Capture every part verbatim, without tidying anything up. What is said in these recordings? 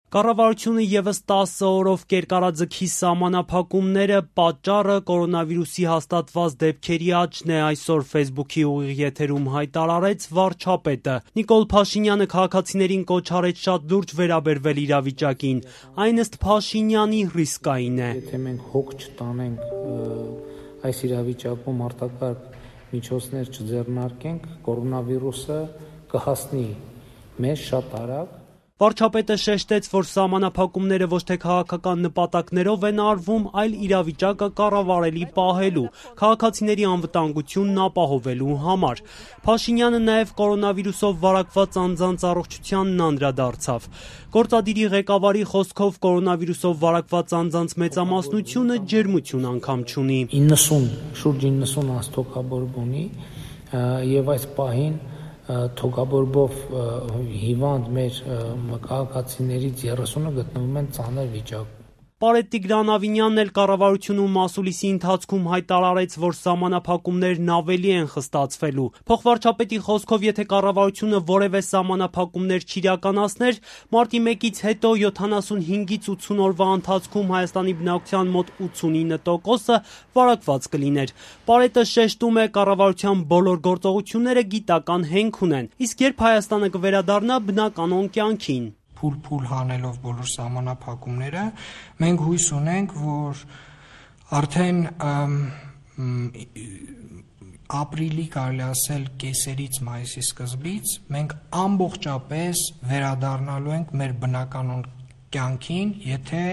Կառավարությունը ևս տասը օրով կերկարաձգի սահմանափակումները, պատճառը կորոնավիրուսի հաստատված դեպքերի աճն է, այսօր Facebook-ի ուղիղ եթերում հայտարարեց վարչապետը։ Նիկոլ Փաշինյանը քաղաքացիներին կոչ արեց շատ լուրջ վերաբերվել իրավիճակին, այն ըստ Փաշինյանի ռիսկային է։ Եթե մենք հոգ չտանենք այս իրավիճակում արտակարգ միջոցներ չձեռնարկենք, կորոնավիրուսը կհասնի մեզ շատ արագ։ Վարչապետը շեշտեց, որ սահմանափակումները ոչ թե քաղաքական նպատակներով են արվում, այլ իրավիճակը կառավարելի պահելու, քաղաքացիների անվտանգությունն ապահովելու համար։ Փաշինյանը նաև կորոնավիրուսով վարակված անձանց առողջությանն անդրադարձավ։ Գործադիրի ղեկավարի խոսքով կորոնավիրուսով վարակված անձանց մեծամասնությունը ջերմություն անգամ չունի։ իննսուն, շուրջ իննսուն անց թոքաբորբ ունի եւ այս պահին թոքաբորբով հիվանդ մեր քաղաքացիներից երեսունը գտնվում են ծանր վիճակում։ Պարետ Տիգրան-Ավինյանն էլ կառավարությունում մասուլիսի ընթացքում հայտարարեց, որ սահմանափակումներն ավելի են խստացվելու։ Փոխվարչապետի խոսքով, եթե կառավարությունը որևէ սահմանափակումներ չիրականացներ, մարտի մեկից հետո յոթանասունհինգից ութսուն օրվա ընթացքում Հայաստանի բնակչության մոտ ութսունինը տոկոսը վարակված կլիներ։ Պարետը շեշտում է, կառավարության բոլոր գործողությունները գիտական հենք ունեն, իսկ երբ Հայաստանը կվերադառնա բնականոն կյանքին։ Փուլ-փուլ հանելով բոլոր սահմանափակումները, մենք հույս ունենք, որ արդեն ապրիլի, կարելի ասել, կեսերից մայիսի սկզբից մենք ամբողջապես վերադառնալու ենք մեր բնականոն կյանքին, եթե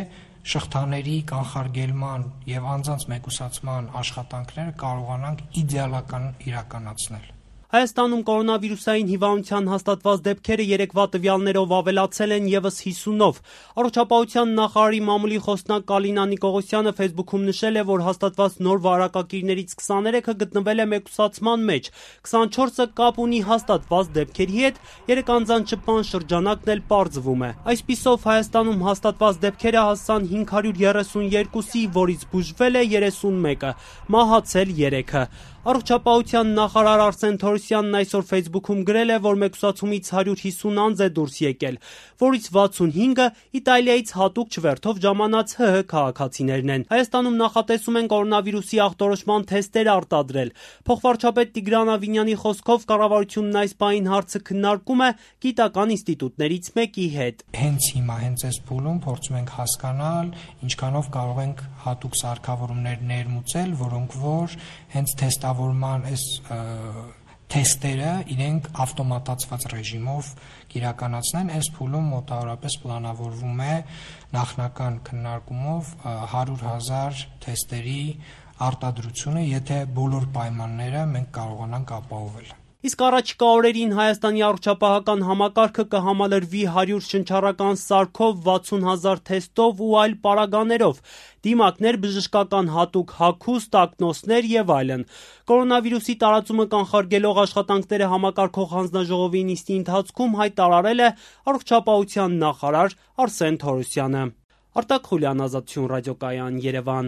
շղթաների կանխարգելման եւ անձանց մեկուսացման աշխատանքները կարողանանք իդեալական իրականացնել։ Հայաստանում կորոնավիրուսային հիվանդության հաստատված դեպքերը երեկվա տվյալներով ավելացել են ևս հիսունով։ Առողջապահության նախարարի մամուլի խոսնակ Կալինա Նիկողոսյանը Facebook-ում նշել է, որ հաստատված նոր վարակակիրներից քսաներեքը գտնվել է մեկուսացման մեջ, քսանչորսը կապ ունի հաստատված դեպքերի հետ, երեք անձանց շփման շրջանակն էլ պարզվում է։ Այսպիսով Հայաստանում հաստատված դեպքերը հասան հինգ հարյուր երեսունյոթի, որից բուժվել է երեսունմեկը, մահացել երեքը։ Առողջապահության նախարար Արսեն Թորոսյանն այսօր Facebook-ում գրել է, որ մեկուսացումից հարյուր հիսուն անձ է դուրս եկել, որից վաթսունհինգը Իտալիայից հատուկ չվերթով ժամանած ՀՀ քաղաքացիներն են։ Հայաստանում նախատեսում են կորոնավիրուսի ախտորոշման թեստեր արտադրել։ Փոխվարչապետ Տիգրան Ավինյանի խոսքով կառավարությունն այս պահին հարցը քննարկում է գիտական ինստիտուտներից մեկի հետ։ Հենց հիմա, հենց այս փուլում փորձում ենք հասկանալ, ինչքանով կարող ենք հատուկ սարքավորումներ ներմուծել, որոնք որ հենց թեստավորման այս թեստերը իրենք ավտոմատացված ռեժիմով կիրականացնեն։ Այս փուլում մոտավորապես պլանավորվում է նախնական քննարկումով հարյուր հազար թեստերի արտադրությունը, եթե բոլոր պայմանները մենք կարողանանք ապահովել։ Իսկ առաջիկա օրերին Հայաստանի առողջապահական համակարգը կհամալրվի հարյուր շնչառական սարքով, վաթսուն հազար թեստով ու այլ պարագաներով, դիմակներ, բժշկական հատուկ հագուստ, ակնոցներ եւ այլն։ Կորոնավիրուսի տարածումը կանխարգելող աշխատանքները համակարգող հանձնաժողովի նիստի ընթացքում հայտարարել է առողջապահության նախարար Արսեն Թորոսյանը։ Արտակ Խուլյան, Ազատություն ռադիոկայան, Երևան։